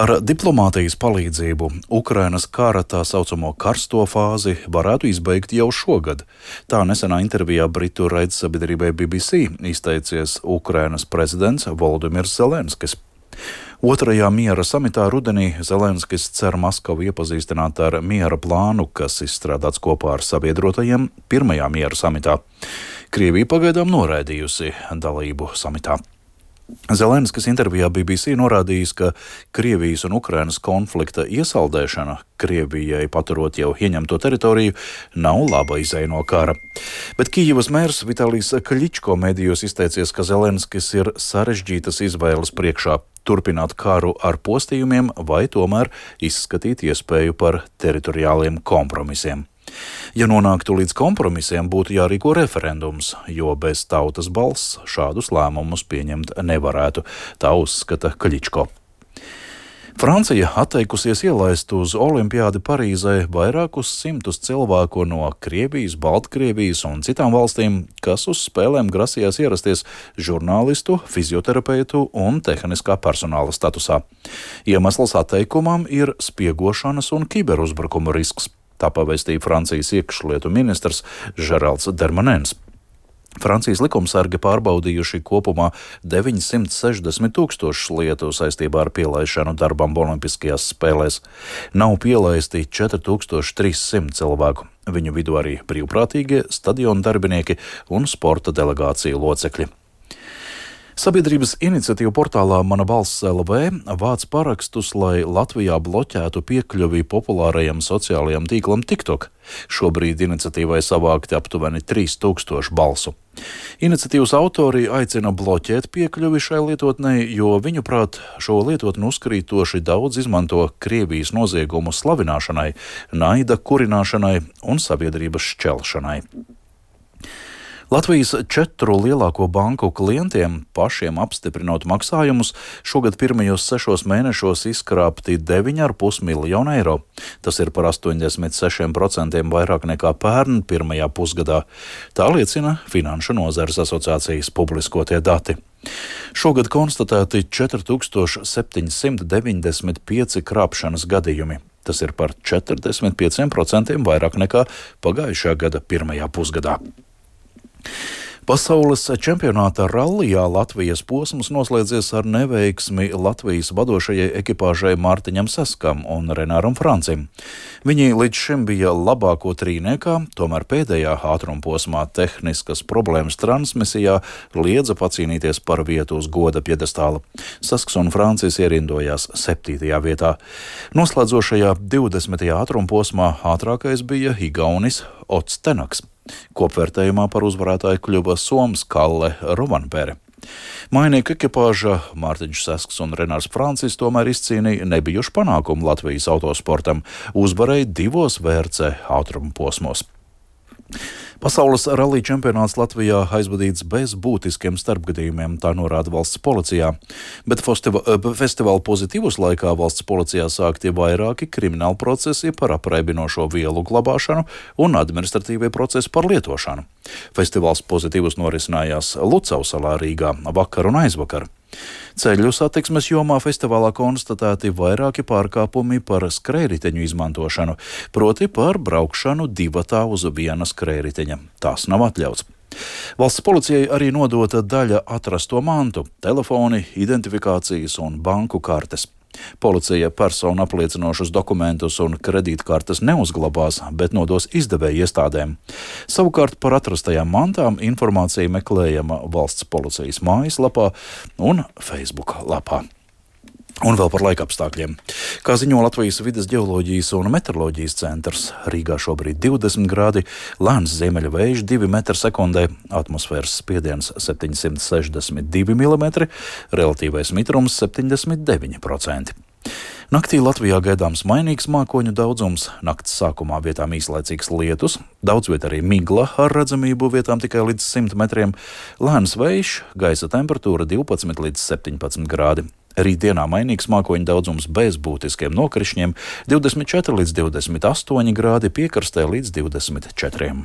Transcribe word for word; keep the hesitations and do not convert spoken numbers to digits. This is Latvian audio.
Ar diplomātijas palīdzību Ukrainas kara tā saucamo karsto fāzi varētu izbeigt jau šogad. Tā nesenā intervijā britu raidsabiedrībai B B C izteicies Ukrainas prezidents Volodimirs Zelenskis. Otrajā miera samitā rudenī Zelenskis cer Maskavu iepazīstināt ar miera plānu, kas izstrādāts kopā ar sabiedrotajiem pirmajā miera samitā. Krievija pagaidām noraidījusi dalību samitā. Zelenskis intervijā B B C norādījis, ka Krievijas un Ukrainas konflikta iesaldēšana, Krievijai paturot jau ieņemto teritoriju, nav laba izeja no kara. Bet Kijivas mērs Vitalijs Kļičko medijos izteicies, ka Zelenskis ir sarežģītas izvēles priekšā turpināt karu ar postījumiem vai tomēr izskatīt iespēju par teritoriāliem kompromisiem. Ja nonāktu līdz kompromisiem, būtu jārīko referendums, jo bez tautas balss šādus lēmumus pieņemt nevarētu, tā uzskata Kļičko. Francija atteikusies ielaist uz olimpiādi Parīzē vairākus simtus cilvēku no Krievijas, Baltkrievijas un citām valstīm, kas uz spēlēm grasījās ierasties žurnālistu, fizioterapeitu un tehniskā personāla statusā. Iemesls atteikumam ir spiegošanas un kiberuzbrukuma risks. Tā pavēstīja Francijas iekšlietu ministrs Žeralds Dermanens. Francijas likumsargi pārbaudījuši kopumā deviņsimt sešdesmit tūkstošus lietu saistībā ar pielaišanu darbam olimpiskajās spēlēs. Nav pielaisti četri tūkstoši trīs simti cilvēku. Viņu vidū arī brīvprātīgie, stadionu darbinieki un sporta delegāciju locekļi. Sabiedrības iniciatīva portālā Mana balss L V vāc parakstus, lai Latvijā bloķētu piekļuvi populārajam sociālajam tīklam TikTok. Šobrīd iniciatīvai savākti aptuveni trīs tūkstoši balsu. Iniciatīvas autori aicina bloķēt piekļuvi šai lietotnei, jo viņuprāt šo lietotni uzkrītoši daudz izmanto Krievijas noziegumu slavināšanai, naida kurināšanai un sabiedrības šķelšanai. Latvijas četru lielāko banku klientiem pašiem apstiprinot maksājumus šogad pirmajos sešos mēnešos izkrāpti deviņi ar pus miljonu eiro. Tas ir par astoņdesmit sešiem procentiem vairāk nekā pērn pirmajā pusgadā. Tā liecina Finanšu nozares asociācijas publiskotie dati. Šogad konstatēti četri tūkstoši septiņi simti deviņdesmit pieci krāpšanas gadījumi. Tas ir par četrdesmit pieciem procentiem vairāk nekā pagājušā gada pirmajā pusgadā. Pasaules čempionāta rallijā Latvijas posms noslēdzies ar neveiksmi Latvijas vadošajai ekipāžai Mārtiņam Saskam un Renāram Francim. Viņi līdz šim bija labāko trīniekā, tomēr pēdējā ātruma posmā tehniskas problēmas transmisijā liedza pacīnīties par vietu uz goda pjedestāla. Sasks un Francis ierindojās septītajā vietā. Noslēdzošajā divdesmitajā ātruma posmā ātrākais bija igaunis Ots Tenaks. Kopvērtējumā par uzvarētāju kļuva soms Kalle Rovanpere. Mainieku ekipāža Mārtiņš Sasks un Renārs Francis tomēr izcīnīja nebijušu panākumu Latvijas autosportam, uzvarēja divos V R C ātruma posmos. Pasaules rallija čempionāts Latvijā aizvadīts bez būtiskiem starpgadījumiem, tā norāda valsts policijā, bet festiva, festivāla pozitīvus laikā valsts policijā sākti vairāki krimināli procesi par apreibinošo vielu glabāšanu un administratīvie procesi par lietošanu. Festivāls pozitīvus norisinājās Lucavsalā Rīgā vakar un aizvakar. Ceļu satiksmes jomā festivālā konstatēti vairāki pārkāpumi par skrējriteņu izmantošanu, proti par braukšanu divatā uz viena skrējriteņa. Tas nav atļauts. Valsts policijai arī nodota daļa atrasto mantu, telefoni, identifikācijas un banku kartes. Policija personu apliecinošus dokumentus un kredītkartes neuzglabās, bet nodos izdevēju iestādēm. Savukārt par atrastajām mantām informācija meklējama valsts policijas mājaslapā un Facebook lapā. Un vēl par laikapstākļiem. Kā ziņo Latvijas vides ģeoloģijas un meteoroloģijas centrs, Rīgā šobrīd divdesmit grādi, lēns ziemeļu vējš divi metri sekundē, atmosfēras spiediens septiņsimt sešdesmit divi milimetri, relatīvais mitrums septiņdesmit deviņi procenti. Naktī Latvijā gaidāms mainīgs mākoņu daudzums, nakts sākumā vietām īslaicīgs lietus, daudz viet arī migla ar redzamību vietām tikai līdz simt metriem, lēns vējš, gaisa temperatūra divpadsmit līdz septiņpadsmit grādi. Rītdienā mainīgs mākoņu daudzums bez būtiskiem nokrišņiem, divdesmit četri līdz divdesmit astoņi grādi, piekrastē līdz divdesmit četriem.